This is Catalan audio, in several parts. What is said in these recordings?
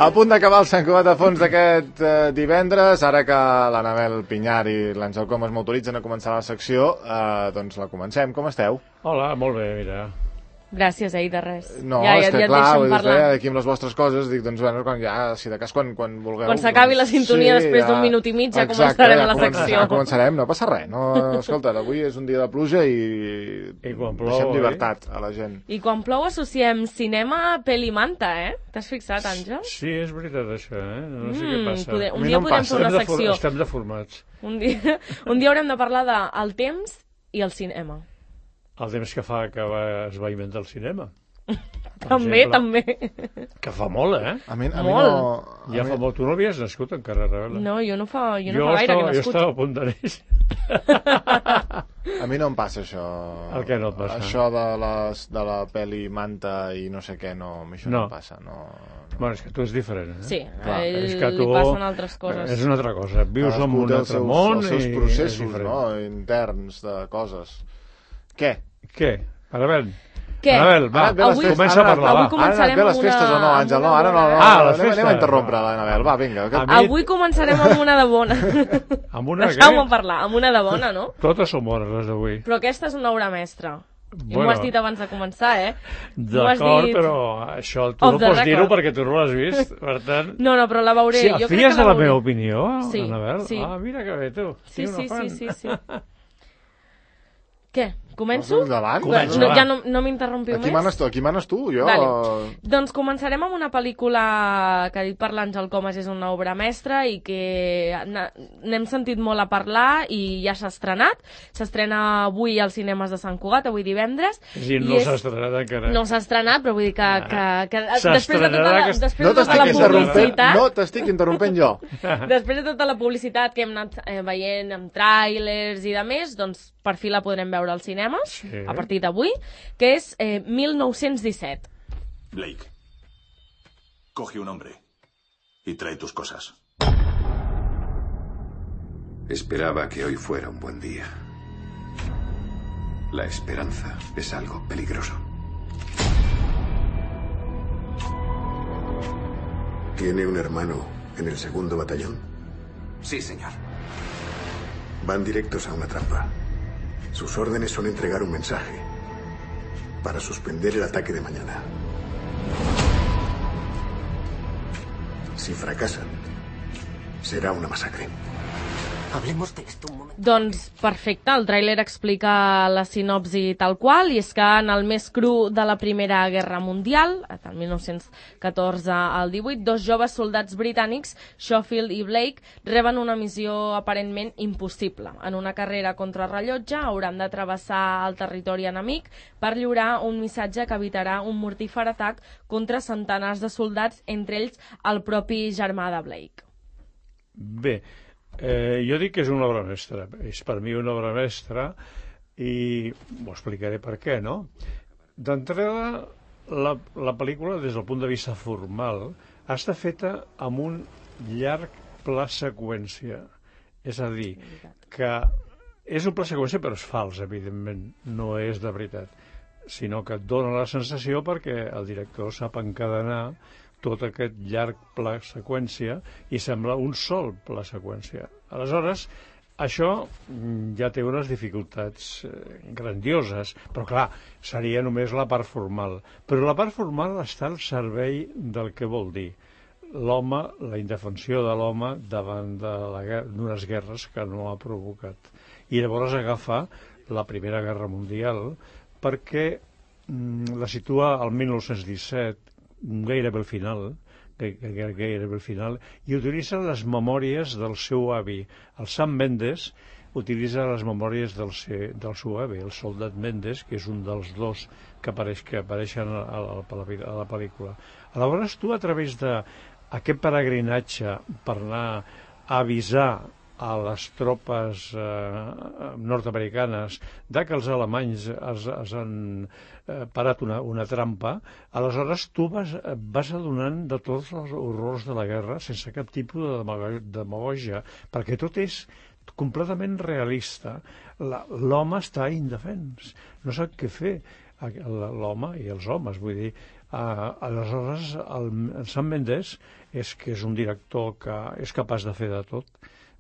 A punt d'acabar el Sant Cugat a fons d'aquest divendres, ara que l'Anabel Pinyar i l'Àngel Comas m'autoritzen a començar la secció, doncs la comencem. Com esteu? Hola, molt bé, mira. Gràcies, de res. No, és que clar, aquí amb les vostres coses, dic, doncs, bueno, si de cas quan vulgueu... Quan s'acabi la sintonia després d'un minut i mig ja començarem la secció. Començarem, no passa res. Escolta, avui és un dia de pluja i deixem llibertat a la gent. I quan plou associem cinema, pel i manta, T'has fixat, Àngel? Sí, és veritat, això, No sé què passa. Un dia podem fer una secció. Estem deformats. Un dia haurem de parlar del temps i el cinema. El temps que fa que es va inventar el cinema. També. Que fa molt, A mi molt. Ja fa molt. Tu no havies nascut encara, Rebela? No, jo no fa gaire que he nascut. Jo estava a punt de néixer. A mi no em passa això. El què no et passa? Això de la peli manta i no sé què, no em passa. Bueno, és que tu és diferent, Sí, a ell li passen altres coses. És una altra cosa. Vius en un altre món i... Els seus processos, interns de coses. Què? Anabel. Què? Anabel, va, comença a parlar. Avui començarem amb les festes o no, Àngel? No, ara no. Anem a interrompre l'Anabel, va, vinga. Avui començarem amb una de bona. Amb una què? Deixeu-me parlar, amb una de bona, no? Totes són bones, les d'avui. Però aquesta és una obra mestra. I m'ho has dit abans de començar, D'acord, però això tu no pots dir-ho perquè tu no l'has vist, per tant... No, però la veuré. Si fies de la meva opinió, Anabel? Sí. Ah, mira que bé, tu. Sí. Què? Començo? Comença. Ja no m'interrompiu més? Aquí manes tu, jo... Vale. Doncs començarem amb una pel·lícula que ha dit per l'Àngel Comas és una obra mestra i que n'hem sentit molt a parlar i ja s'ha estrenat. S'estrena avui als cinemes de Sant Cugat, avui divendres. No s'ha estrenat encara. No s'ha estrenat, però vull dir que després de tota la publicitat... No t'estic interrompent jo. Després de tota la publicitat que hem anat veient amb tràilers i de més, doncs per fi la podrem veure al cinema. A partir d'avui, que és 1917. Blake, coge un hombre y trae tus cosas. Esperaba que hoy fuera un buen día. La esperanza es algo peligroso. ¿Tiene un hermano en el 2º batallón? Sí, señor. Van directos a una trampa. Sus órdenes son entregar un mensaje para suspender el ataque de mañana. Si fracasan, será una masacre. Hablemos de esto un moment. Doncs perfecte, el tràiler explica la sinopsi tal qual, i és que en el més cru de la Primera Guerra Mundial, del 1914 al 18, dos joves soldats britànics, Schofield i Blake, reben una missió aparentment impossible. En una carrera contra rellotge hauran de travessar el territori enemic per lliurar un missatge que evitarà un mortífer atac contra centenars de soldats, entre ells el propi germà de Blake. Bé, jo dic que és una obra mestra, és per mi una obra mestra i ho explicaré per què, no? D'entrada, la pel·lícula, des del punt de vista formal, està feta amb un llarg pla seqüència, és a dir, que és un pla seqüència però és fals, evidentment, no és de veritat, sinó que et dona la sensació perquè el director sap encadenar tot aquest llarg pla seqüència i sembla un sol pla seqüència. Aleshores, això ja té unes dificultats grandioses, però clar, seria només la part formal. Però la part formal està al servei del que vol dir l'home, la indefensió de l'home davant d'unes guerres que no ha provocat. I llavors agafa la Primera Guerra Mundial perquè la situa al 1917, gairebé al final, i utilitza les memòries del seu avi. El Sam Mendes utilitza les memòries del seu avi, el soldat Mendes, que és un dels dos que apareixen a la pel·lícula. Aleshores, tu, a través d'aquest peregrinatge per anar a avisar a les tropes nord-americanes que els alemanys es han parat una trampa, aleshores tu vas adonant de tots els horrors de la guerra sense cap tipus de demagògia, perquè tot és completament realista. L'home està indefens, no sap què fer, l'home i els homes, vull dir, Aleshores, el Sam Mendes és que és un director que és capaç de fer de tot.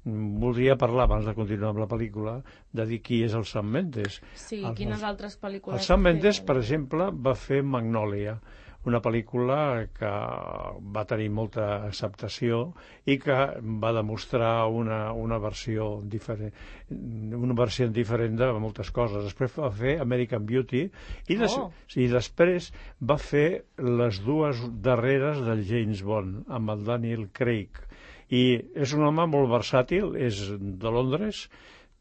Voldria parlar, abans de continuar amb la pel·lícula, de dir qui és el Sam Mendes. Sí, quines altres pel·lícules... El Sam Mendes, per exemple, va fer Magnolia, una pel·lícula que va tenir molta acceptació i que va demostrar una versió diferent, de moltes coses. Després va fer American Beauty i després va fer les dues darreres del James Bond amb el Daniel Craig. I és un home molt versàtil, és de Londres,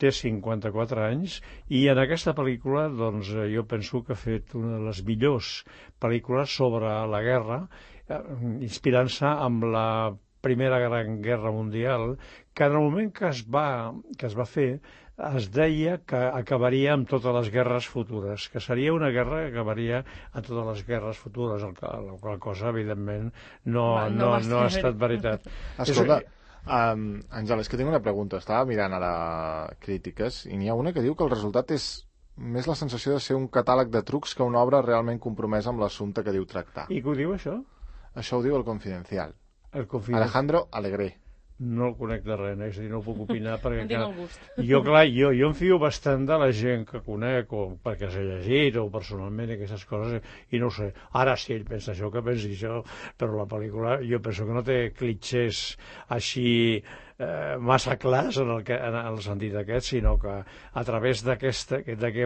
té 54 anys, i en aquesta pel·lícula doncs, jo penso que ha fet una de les millors pel·lícules sobre la guerra, inspirant-se amb la Primera Gran Guerra Mundial, que en el moment que es va fer es deia que acabaria amb totes les guerres futures, que seria una guerra que acabaria amb totes les guerres futures, la qual cosa, evidentment, no ha estat veritat. Escolta, Àngel, és que tinc una pregunta. Estava mirant ara crítiques i n'hi ha una que diu que el resultat és més la sensació de ser un catàleg de trucs que una obra realment compromesa amb l'assumpte que diu tractar. I què ho diu, això? Això ho diu el Confidencial. Alejandro Alegre. No el conec de res, és a dir, no puc opinar perquè... No tinc el gust. Jo em fio bastant de la gent que conec, o perquè s'ha llegit, o personalment, aquestes coses, i no ho sé. Ara sí, ell pensa això, que pensi això, però la pel·lícula jo penso que no té clitxers així massa clars en el sentit aquest, sinó que a través d'aquest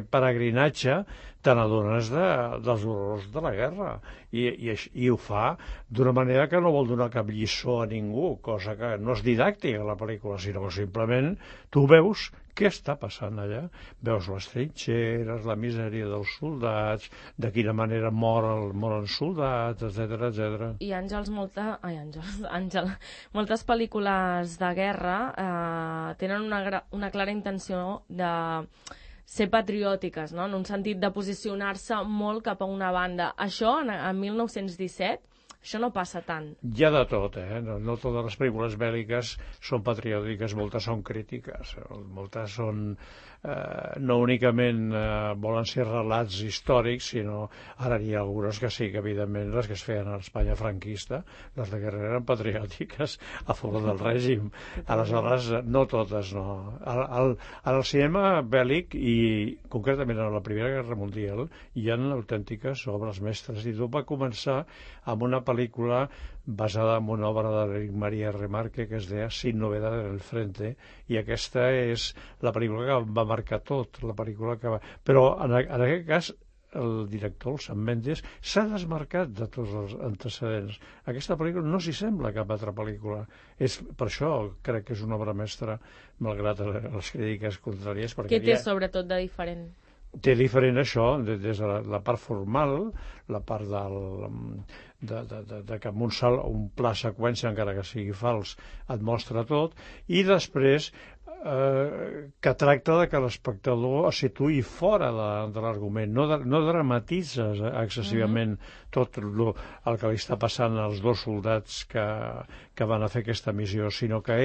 peregrinatge te n'adones dels horrors de la guerra i ho fa d'una manera que no vol donar cap lliçó a ningú, cosa que no és didàctica la pel·lícula, sinó que simplement tu veus què està passant allà, veus les trinxeres, la misèria dels soldats, de quina manera moren soldats, etc. I Àngel, moltes pel·lícules de guerra tenen una clara intenció de ser patriòtiques, no? En un sentit de posicionar-se molt cap a una banda. Això, en 1917, això no passa tant. Hi ha de tot, No totes les pel·lícules bèl·liques són patriòtiques, moltes són crítiques, moltes són... no únicament volen ser relats històrics, sinó ara hi ha algunes que sí, que evidentment les que es feien a l'Espanya franquista, les de guerra eren patriòtiques a favor del règim. Aleshores, no totes, no. En el cinema bèl·lic, i concretament a la Primera Guerra Mundial, hi ha autèntiques obres mestres, i tot va començar amb una pel·lícula basada en una obra de María Remarque que es deia Sin novedad en el frente, i aquesta és la pel·lícula que va marcar tot, la pel·lícula que va... Però en aquest cas el director, el Sam Mendes, s'ha desmarcat de tots els antecedents. Aquesta pel·lícula no s'hi sembla a cap altra pel·lícula. Per això crec que és una obra mestra, malgrat les crítiques contràries. Què té sobretot de diferent? Té diferent això, des de la part formal, la part de que amb un pla seqüència, encara que sigui fals, et mostra tot, i després que tracta de que l'espectador es situï fora de l'argument, no dramatitzes excessivament tot el que li està passant als dos soldats que van a fer aquesta missió, sinó que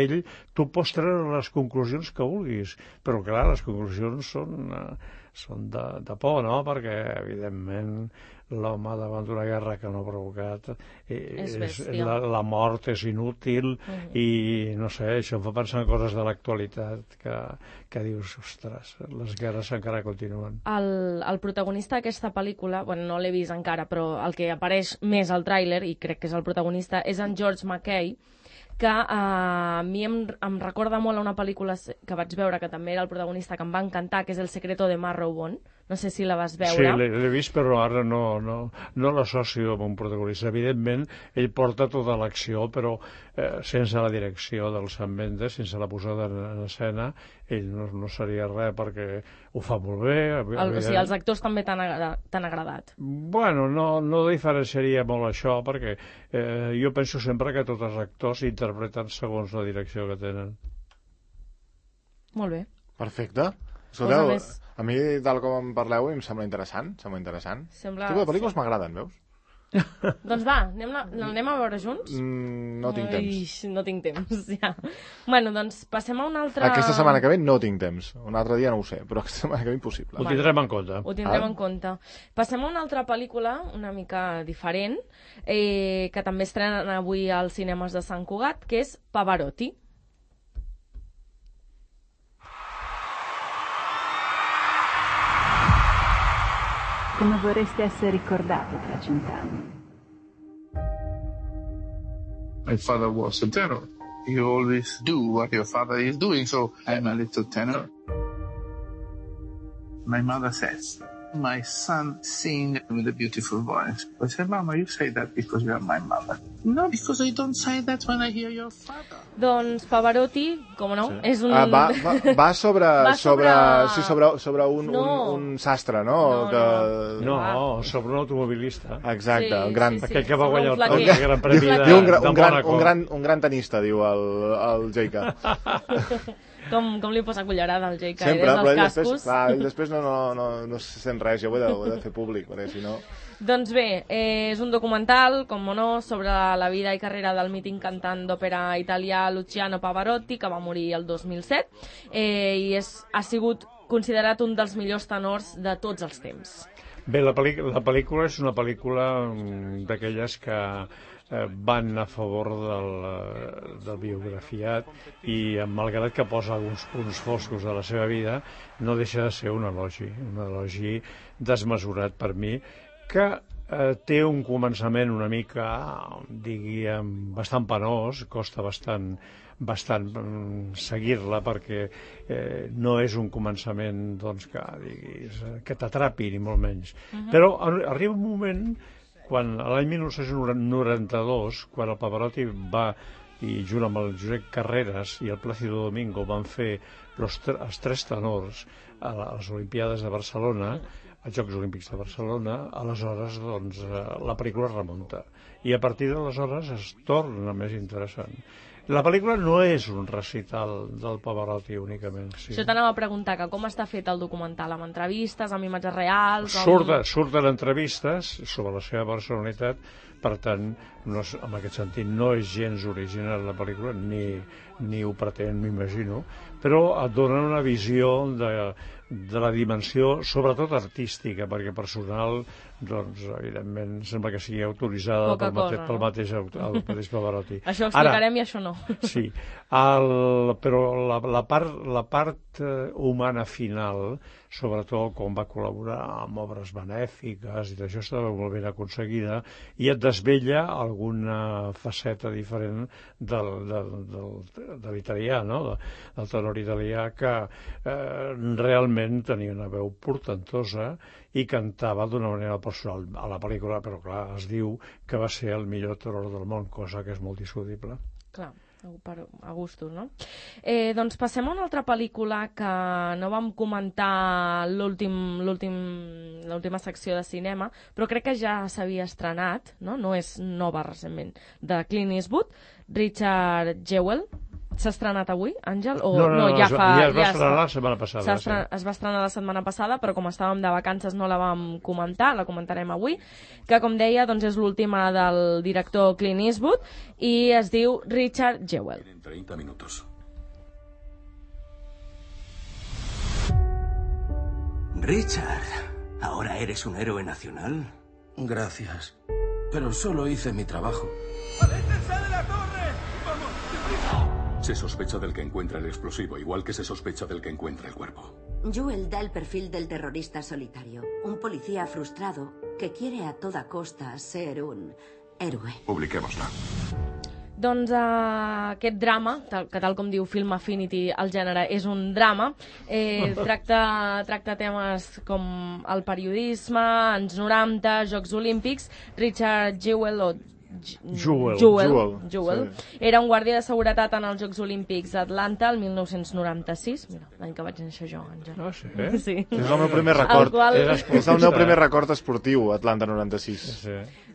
tu pots treure les conclusions que vulguis, però clar, les conclusions són de por, no? Perquè evidentment l'home davant d'una guerra que no ha provocat la mort és inútil i no sé, això em fa pensar en coses de l'actualitat que dius, ostres, les guerres encara continuen. El protagonista d'aquesta pel·lícula, bueno, no l'he vist encara, però el que apareix més al tràiler, i crec que és el protagonista, és en George McKay, que a mi em recorda molt a una pel·lícula que vaig veure, que també era el protagonista, que em va encantar, que és El secreto de Marrowbone. No sé si la vas veure. Sí, l'he vist, però ara no l'associo amb un protagonista. Evidentment, ell porta tota l'acció, però sense la direcció del Sam Mendes, sense la posada en escena, ell no seria res, perquè ho fa molt bé. O sigui, els actors també t'han agradat? Bueno, no diferenciaria molt això, perquè jo penso sempre que tots els actors interpreten segons la direcció que tenen. Molt bé. Perfecte. Escolteu, a mi, tal com em parleu, em sembla interessant. Aquest tipus de pel·lícules m'agraden, veus? Doncs va, l'anem a veure junts? No tinc temps. No tinc temps, ja. Bueno, doncs passem a una altra... Aquesta setmana que ve no tinc temps. Un altre dia no ho sé, però aquesta setmana que ve impossible. Ho tindrem en compte. Ho tindrem en compte. Passem a una altra pel·lícula, una mica diferent, que també estrenen avui als cinemes de Sant Cugat, que és Pavarotti. Come vorreste essere ricordati tra 100 anni? My father was a tenor. You always do what your father is doing, so I'm a little tenor. My mother says, my son sings with a beautiful voice. I said, Mama, you say that because you are my mother. No, because I don't say that when I hear your father. Doncs Pavarotti, com no, sí. És un... Va sobre un sastre, no? No, sobre un automobilista. Exacte, sí, un gran... Sí, sí. Aquell que va guanyar el Gran Premi de Mònaco. Un gran tenista, diu el J.K. Com li posa cullerada al J.K. Sempre, des dels però cascos. ell després no se sent res, jo ho he de fer públic, perquè si no... Doncs bé, és un documental, com no, sobre la vida i carrera del mític cantant d'òpera italià Luciano Pavarotti, que va morir el 2007, i ha sigut considerat un dels millors tenors de tots els temps. Bé, la pel·lícula és una pel·lícula d'aquelles que van a favor del biografiat i malgrat que posa alguns punts foscos de la seva vida no deixa de ser un elogi desmesurat per mi, que té un començament una mica, diríem, bastant penós, costa bastant seguir-la perquè no és un començament doncs, que t'atrapi ni molt menys. Però arriba un moment quan l'any 1992, quan el Pavarotti va, i junt amb el Josep Carreras i el Plácido Domingo van fer els tres tenors a les Olimpiades de Barcelona, als Jocs Olímpics de Barcelona, aleshores doncs, la pel·lícula remunta. I a partir d'aleshores es torna més interessant. La pel·lícula no és un recital del Pavarotti únicament. Sí. Això t'anava a preguntar, que com està fet el documental, amb entrevistes, amb imatges reals... Surten entrevistes sobre la seva personalitat, per tant, en aquest sentit, no és gens original la pel·lícula, ni ho pretén, m'imagino, però et donen una visió de la dimensió, sobretot artística, perquè personal, doncs, evidentment, sembla que sigui autoritzada pel mateix Pavarotti. Això ho explicarem i això no. Sí, però la part humana final, sobretot quan va col·laborar amb obres benèfiques, i això estava molt ben aconseguida, i et desvella alguna faceta diferent de l'italià, no? Del tenor italià, que realment tenia una veu portentosa i cantava d'una manera personal a la pel·lícula, però clar, es diu que va ser el millor tenor del món, cosa que és molt discutible. Clar, a gustos, no? Doncs passem a una altra pel·lícula que no vam comentar l'última secció de cinema, però crec que ja s'havia estrenat, no és nova recentment, de Clint Eastwood, Richard Jewell. S'ha estrenat avui, Àngel? No, ja es va estrenar la setmana passada. Es va estrenar la setmana passada, però com estàvem de vacances no la vam comentar, la comentarem avui, que com deia doncs és l'última del director Clint Eastwood i es diu Richard Jewell. En 30 minutos. Richard, ¿ahora eres un héroe nacional? Gracias, pero solo hice mi trabajo. ¡Aléjense de la torre! ¡Vamos! Se sospecha del que encuentra el explosivo, igual que se sospecha del que encuentra el cuerpo. Jewell da el perfil del terrorista solitario, un policía frustrado que quiere a toda costa ser un héroe. Publiquémosla. Doncs aquest drama, que tal com diu Film Affinity, el gènere és un drama, tracta temes com el periodisme, anys 90, Jocs Olímpics. Richard Jewell Jewell era un guàrdia de seguretat en els Jocs Olímpics d'Atlanta el 1996, mira, l'any que vaig néixer jo, Àngel. Ah, sí? És el meu primer record. És el meu primer record esportiu, Atlanta 96.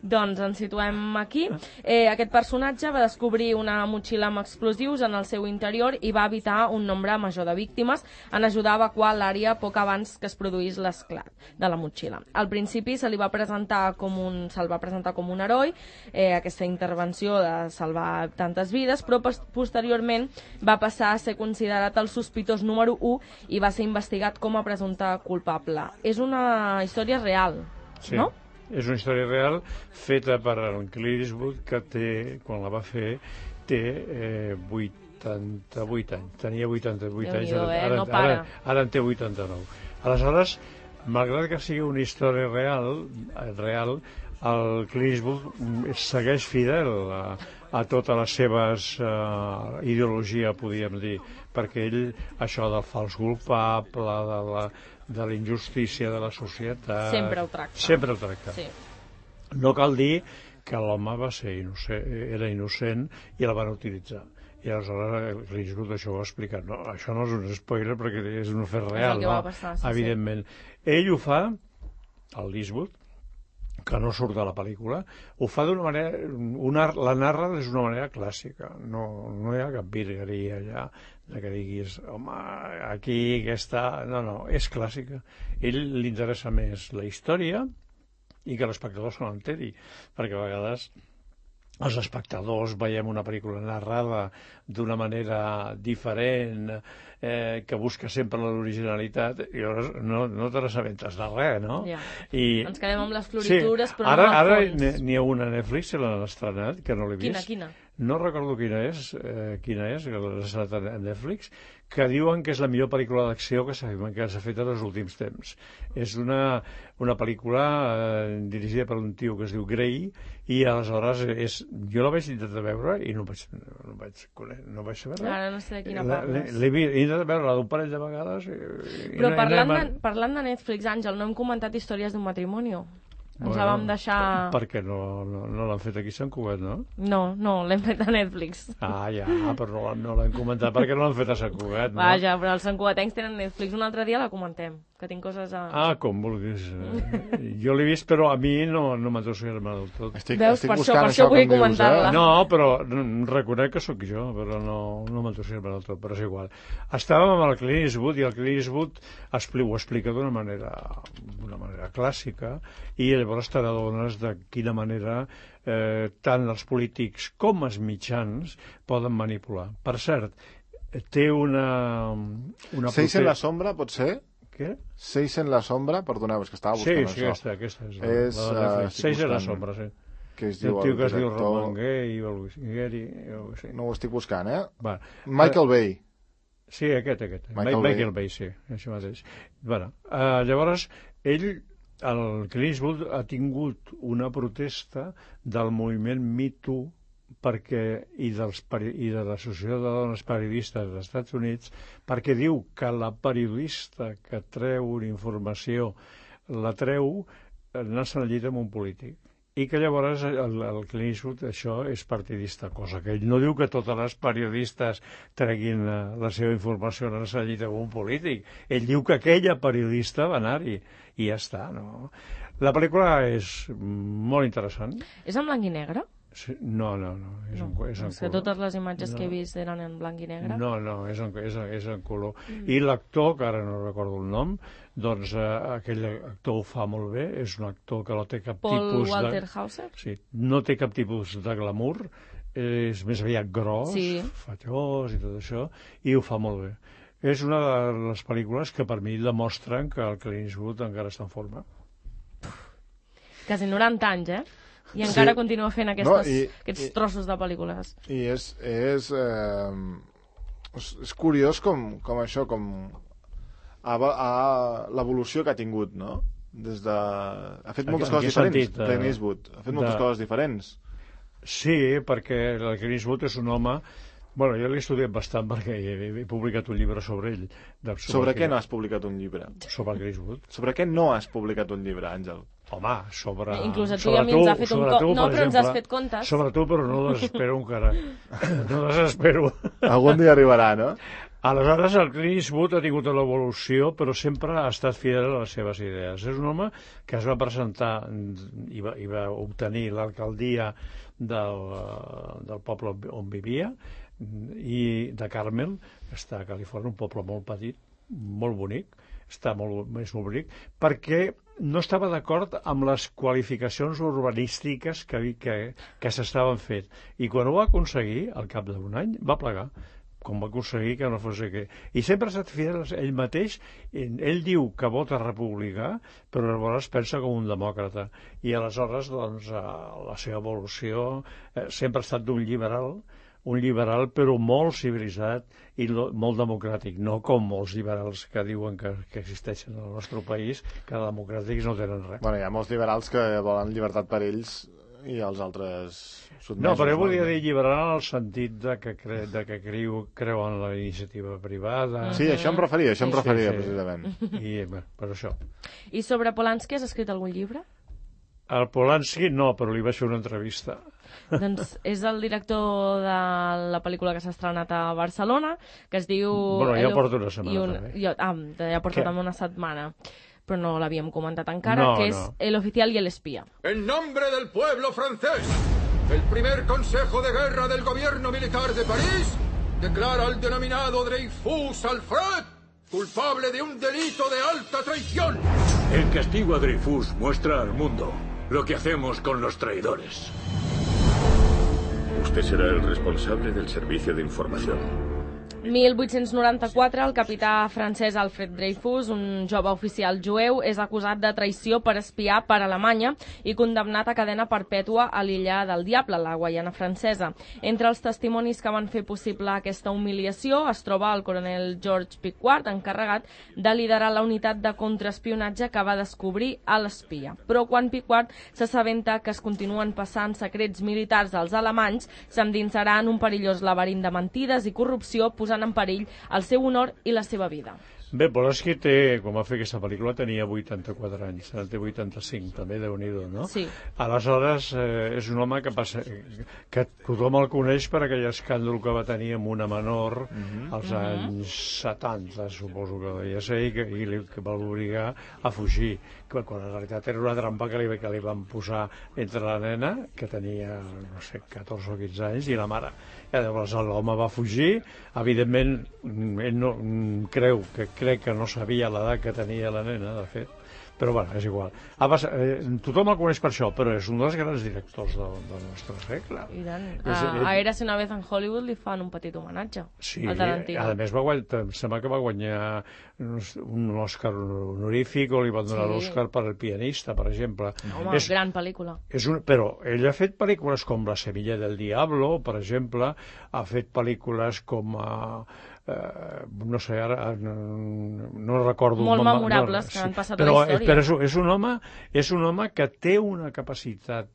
Doncs ens situem aquí. Aquest personatge va descobrir una motxilla amb explosius en el seu interior i va evitar un nombre major de víctimes en ajudar a evacuar l'àrea poc abans que es produís l'esclat de la motxilla. Al principi se'l va presentar com un heroi, aquesta intervenció de salvar tantes vides, però posteriorment va passar a ser considerat el sospitós número 1 i va ser investigat com a presumpte culpable. És una història real, sí. No? És una història real feta per en Clint Eastwood, que quan la va fer té 88 anys. Tenia 88 anys, ara en té 89. Aleshores, malgrat que sigui una història real, el Clint Eastwood segueix fidel a totes les seves ideologia, podríem dir, perquè ell, això del fals culpable, de la injustícia de la societat... Sempre ho tracta. Sí. No cal dir que l'home era innocent i la van utilitzar. I aleshores Clint Eastwood això ho ha explicat. No, això no és un spoiler perquè és un fet real, no? Passar, evidentment. Ell ho fa, el Eastwood, que no surt de la pel·lícula, ho fa d'una manera... la narra és d'una manera clàssica. No hi ha cap virgueria allà que diguis, home, aquí, aquesta... No, és clàssica. Ell li interessa més la història i que l'espectador se l'enteri, perquè a vegades els espectadors veiem una pel·lícula narrada d'una manera diferent, que busca sempre l'originalitat, i llavors no te n'assabentes de res, no? Ja. Ens quedem amb les floritures, però no al ara fons. n'hi ha una a Netflix, se l'han estrenat, que no l'he vist. Quina? No recordo quina és, que l'han estrenat a Netflix, que diuen que és la millor pel·lícula d'acció que s'ha fet en els últims temps. És una pel·lícula dirigida per un tio que es diu Gray, i aleshores jo la vaig intentar veure i no vaig saber res. Ara no sé de quina parles. L'he intentat veure d'un parell de vegades. Però parlant de Netflix, Àngel, no hem comentat Històries d'un matrimoni? Ens la vam deixar... Perquè no l'han fet aquí a Sant Cugat, no? No, l'hem fet a Netflix. Ja, però no l'hem comentat perquè no l'han fet a Sant Cugat, no? Vaja, però els santcugatencs tenen Netflix. Un altre dia la comentem, que tinc coses a... Com vulguis. Jo l'he vist, però a mi no m'entusiasma del tot. Veus, per això vull comentar-la. No, però reconec que sóc jo, però no m'entusiasma del tot, però és igual. Estàvem amb el Clint Eastwood, i el Clint Eastwood ho explica d'una manera clàssica, i llavors te n'adones de quina manera tant els polítics com els mitjans poden manipular. Per cert, té una... Seis en la sombra, pot ser? Què? Seis en la sombra, perdoneu, és que estava buscant això. Sí, aquesta és la Seis en la sombra, sí. Que es diu el tio que es diu Roman Gary o no ho estic buscant, Va. Michael Bay. Sí, aquest. Michael Bay, sí, això mateix. Llavors, el Clint Eastwood ha tingut una protesta del moviment Me Too i de l'Associació de Dones Periodistes dels Estats Units, perquè diu que la periodista que treu una informació la treu anant-se'n al llit amb un polític. I que llavors el Clint Eastwood això és partidista, cosa que ell no diu que totes les periodistes treguin la seva informació en el llit amb un polític. Ell diu que aquella periodista va anar-hi i ja està, no? La pel·lícula és molt interessant. És en blanc i negre? Sí, no. És en color. Que totes les imatges que he vist eren en blanc i negre? No, és en color. I l'actor, que ara no recordo el nom, doncs aquell actor ho fa molt bé, és un actor que no té cap tipus de... Paul Walter Hauser? Sí, no té cap tipus de glamour, és més aviat gros, fatllós i tot això, i ho fa molt bé. És una de les pel·lícules que per mi demostren que el Clint Eastwood encara està en forma. Quasi 90 anys, I encara continua fent aquests trossos de pel·lícules. I és curiós com això, com l'evolució que ha tingut, no? Ha fet moltes coses diferents, Clint Eastwood. Ha fet moltes coses diferents. Sí, perquè el Clint Eastwood és un home... Bueno, jo l'he estudiat bastant perquè he publicat un llibre sobre ell. Sobre què no has publicat un llibre? Sobre el Clint Eastwood. Sobre què no has publicat un llibre, Àngel? Home, sobre... Inclús a tu i a mi ens ha fet un compte. No, però ens has fet comptes. Sobre tu, però no desespero encara. No desespero. Algun dia arribarà, no? Aleshores, el Clint Eastwood ha tingut una evolució, però sempre ha estat fidel a les seves idees. És un home que es va presentar i va obtenir l'alcaldia del poble on vivia, i de Carmel, que està a Califòrnia, un poble molt petit, molt bonic, està molt bonic, perquè no estava d'acord amb les qualificacions urbanístiques que s'estaven fent. I quan ho va aconseguir, al cap d'un any, va plegar, com va aconseguir que no fos aquí. I sempre ha estat fidel a ell mateix. Ell diu que vota republicà, però llavors pensa com un demòcrata. I aleshores, doncs, la seva evolució sempre ha estat d'un liberal però molt civilitzat i molt democràtic, no com molts liberals que diuen que existeixen al nostre país, que democràtics no tenen res. Bueno, hi ha molts liberals que volen llibertat per ells i els altres sotmesos. No, però jo volia dir liberal en el sentit de que creuen en la iniciativa privada. Sí, això em referia, precisament. I per això. I sobre Polanski has escrit algun llibre? El Polanski no, però li vaig fer una entrevista. Doncs és el director de la pel·lícula que s'ha estrenat a Barcelona, que es diu... Bueno, ja porto una setmana també. Ja porto també una setmana, però no l'havíem comentat encara, que és El oficial y el espía. En nombre del pueblo francés, el primer consejo de guerra del gobierno militar de París declara al denominado Dreyfus Alfred culpable de un delito de alta traición. El castigo a Dreyfus muestra al mundo lo que hacemos con los traidores. Usted será el responsable del servicio de información. 1894, el capità francès Alfred Dreyfus, un jove oficial jueu, és acusat de traïció per espiar per Alemanya i condemnat a cadena perpètua a l'illa del Diable, la Guaiana francesa. Entre els testimonis que van fer possible aquesta humiliació es troba el coronel George Pickard, encarregat de liderar la unitat de contraespionatge que va descobrir a l'espia. Però quan Pickard s'assabenta que es continuen passant secrets militars als alemanys, s'endinsarà en un perillós laberint de mentides i corrupció, posant en perill el seu honor i la seva vida. Bé, Polanski quan va fer aquesta pel·lícula tenia 84 anys, ara té 85, també, Déu-n'hi-do, no? Sí. Aleshores, és un home que tothom el coneix per aquell escàndol que va tenir amb una menor als anys 70, suposo que deia ser, i que va obligar a fugir, quan en realitat era una trampa que li van posar entre la nena, que tenia, no sé, 14 o 15 anys, i la mare. I llavors l'home va fugir, evidentment, ell no crec que no sabia l'edat que tenia la nena, de fet, però bueno, és igual. Tothom el coneix per això, però és un dels grans directors del nostre segle. I tant. A Érase una vez en Hollywood li fan un petit homenatge al Tarantino. A més, sembla que va guanyar un Òscar honorífic, o li van donar l'Òscar per El pianista, per exemple. Home, gran pel·lícula. Però ell ha fet pel·lícules com La Semilla del Diablo, per exemple, ha fet pel·lícules com no sé, ara no recordo molt memorables que han passat a la història, però és un home que té una capacitat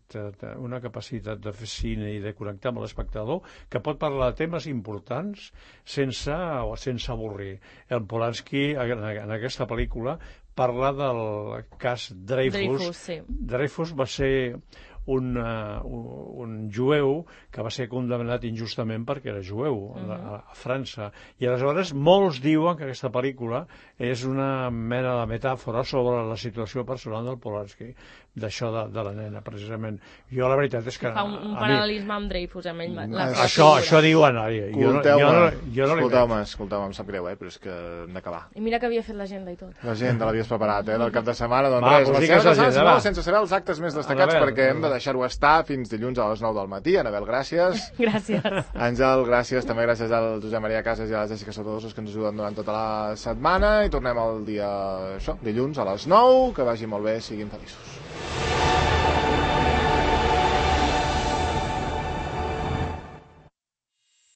de fer cine i de connectar amb l'espectador, que pot parlar de temes importants sense avorrir. El Polanski en aquesta pel·lícula parla del cas Dreyfus. Dreyfus va ser un jueu que va ser condemnat injustament perquè era jueu a França, i aleshores molts diuen que aquesta pel·lícula és una mena de metàfora sobre la situació personal del Polanski, d'això de la nena, precisament. Jo la veritat és que... Fa un paral·lelisme amb Dreyfus, amb ell. Això diuen. Escolteu-me, em sap greu, però és que hem d'acabar. I mira que havia fet l'agenda i tot. L'agenda l'havies preparat, del cap de setmana, doncs res, sense saber els actes més destacats, perquè hem de deixar-ho estar fins dilluns a les 9 del matí. Anabel, gràcies. Gràcies. Àngel, gràcies. També gràcies al Josep Maria Casas i a la Jessica Sotodosos, que ens ajuden durant tota la setmana, i tornem el dia, dilluns a les 9. Que vagi molt bé, siguin feliços.